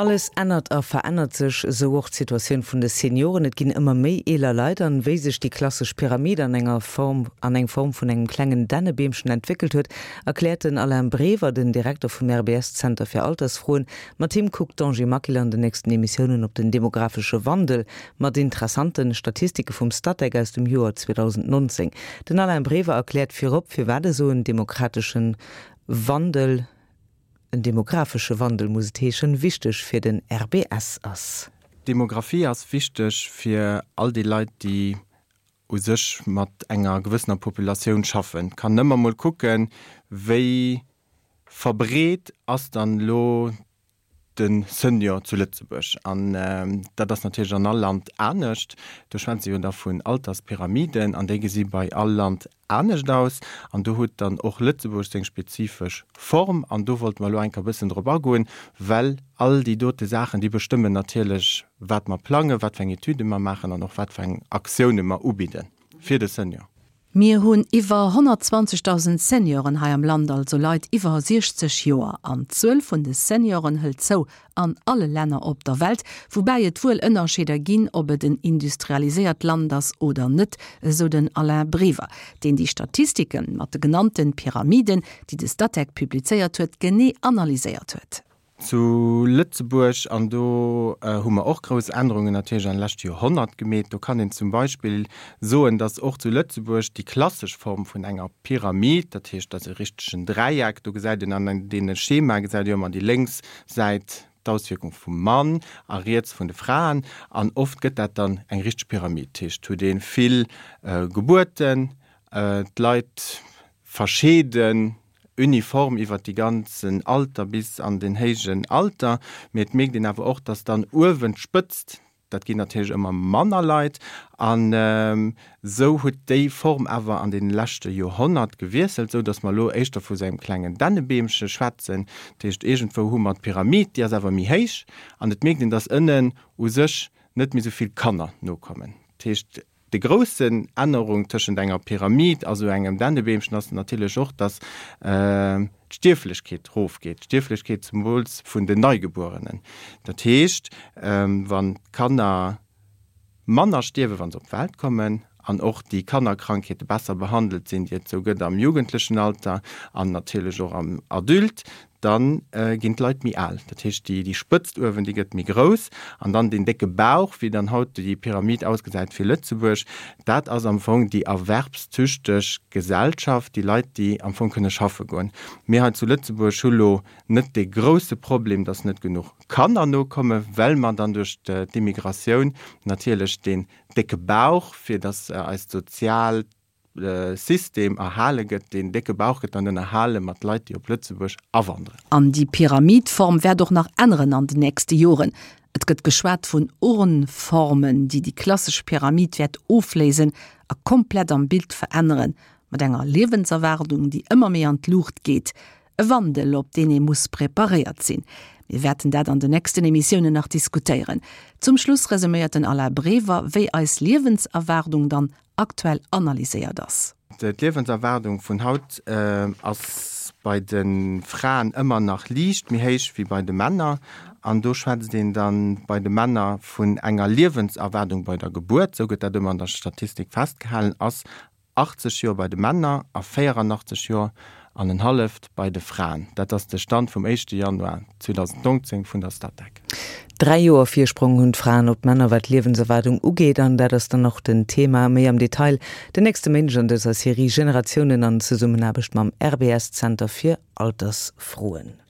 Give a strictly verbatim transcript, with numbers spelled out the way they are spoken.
Alles ännert a verännert sech, esou och d'Situatioun vun de Senioren. Et ginn ëmmer méi eeler Leit an wéi sech déi klassesch Pyramid an enger Form an eng Form vun engem klengen Dännebeemchen entwéckelt huet, erkläert den Alain Brever, den Direkter vum R B S-Zenter fir Altersfroen. Mat him kuckt d'Angie Maquil an den nächsten Emissiounen op den demografesche Wandel mat interessante Statistike vum Statec aus dem Joer zweedausendnonzéng. Den Alain Brever erkläert virop, firwat esou en demokrateschen Wandel, en demografesche Wandel muss et heeschen, wichteg fir den R B S ass. Demografie ass wichteg fir all déi Leit, déi u sech mat enger gewëssener Populatioun schaffen. Kann nëmmer mol kucken, wéi verbreet ass dann elo de Senior zu Lëtzebuerg. An dat ass natierlech an all Land anescht. Do schwätze jo da vun Alterspyramiden an déi gesi bei all Land anescht aus. An do huet dann och Lëtzebuerg seng spezifesch Form. An do wollte mer elo eng Kéier e bëssen drop agoen, well all déi dote Saachen, déi bestëmmen natierlech, wat mer plangen, wat fir eng Etüde mer maachen an och wat fir eng Aktioune mer ubidde fir de Senior. Mir hunn iwwer honnertzwanzegdausend Senioren hei am Land, also Leit iwwer siechzeg Joer. An d'Zuel vun de Senioren hëlt zou an alle Länner op der Welt, woubäi et wuel Ënnerscheeder ginn, ob et en industrialiséiert Land ass oder net, esou den Alain Brever, deen déi Statistike mat de genannte Pyramiden, déi de Statec publizéiert huet, genee analyséiert huet. Zu Lëtzebuerg, an do hu mer och grouss Ännerungen natierlech an leschte Joerhonnert gemeet, do kann een zum Beispill soen, datt och zu Lëtzebuerg déi klassesch Form vun enger Pyramid, dat heescht, dat ass e richtegen Dräieck, do gesäit een an deene Schemae gesäit ee jo ëmmer déi lénks Säit d'Auswierkung vum Mann a riets vun de Fraen, an oft gëtt dat dann eng richteg Pyramid, dat heescht, huet ee vill Gebuerten, d'Leit verscheeden uniform iwwert déi ganzen Alter bis an den héijen Alter, mee et mierkt een awer och, dass dann uewen d'Spëtzt, dat ginn natierlech ëmmer manner Leit, an esou huet déi Form awer an deene leschte Joerhonnert gewiesselt, esou dass mer elo éischter vu sou engem klengen Dännebeemche schwätzen. Dat heescht, iergendwou hu mer d'Pyramid, déi ass awer méi héich, an et mierkt een, dass ënnen u sech net méi esou vill Kanner nokommen. Dat heescht, Déi groussen Ännerung tëschent enger Pyramid a sou engem Dännebeemchen ass natierlech och, dass d'Stierflechkeet rofgeet, d'Stierflechkeet zemools vun den Neigebuerenen. Dat heescht, wann d'Kanner manner stierwen, wa se op d'Welt kommen, an och déi Kannerkrankheete besser behandelt sinn, déi et sou gëtt am jugendlechen Alter an natierlech och am Adulte, da ginn d'Leit méi al. Dat heescht, déi Spëtzt uewen, déi gëtt méi grouss. An dann deen décke Bauch, wéi dann haut déi Pyramid ausgesäit fir Lëtzebuerg, dat ass am Fong déi erwerbstüchteg Gesellschaft, déi Leit, déi am Fong kënne schaffe goen. Mir hei zu Lëtzebuerg hu lo net dee grousse Problem, dass net genuch Kanner nokommen, well mer dann duerch d'Immigratioun natierlech deen décke Bauch, fir dass eist soziaalt System erhale gëtt, deen décke Bauch gëtt dann ënnerhale mat Leit, déi op Lëtzebuerg awanderen. An déi Pyramidform wäert och nach änneren an den nächste Joren. Et gëtt geschwat vun Urnformen, déi déi klassesch Pyramid wäert ofléisen a komplett am Bild veränneren, mat enger Liewenserwaardung, déi ëmmer méi an d'Luucht geet. E Wandel, op deen ee muss preparéiert sinn. Mir wäerten dat an den nächsten Emissiounen nach diskutéieren. Zum Schluss resuméiert den Alain Brever, wéi eis Liewenserwaardung dann aktuell analyséiert ass. D'Liewenserwaardung vun haut ass bei de Fraen ëmmer nach liicht méi héich wéi bei de Männer. An do schwätzt een da bei de Männer vun enger Liewenserwaardung bei der Gebuert, esou gëtt dat ëmmer an der Statistik festgehalen, ass achtzeg Joer bei de Männer a véieranachtzeeg Joer an en halleft bei de Fraen. Dat ass de Stand vum éischte Januar zweedausendnonzéng vun der Statec. Dräi Joer Virsprong hunn d'Fraen op d'Männer wat d'Liewenserwaardung ugeet an dat ass dann och den Thema méi am Detail den nächste Méindeg an dëser Serie Generatiounen an Zesummenaarbecht mam R B S Zenter fir Altersfroen.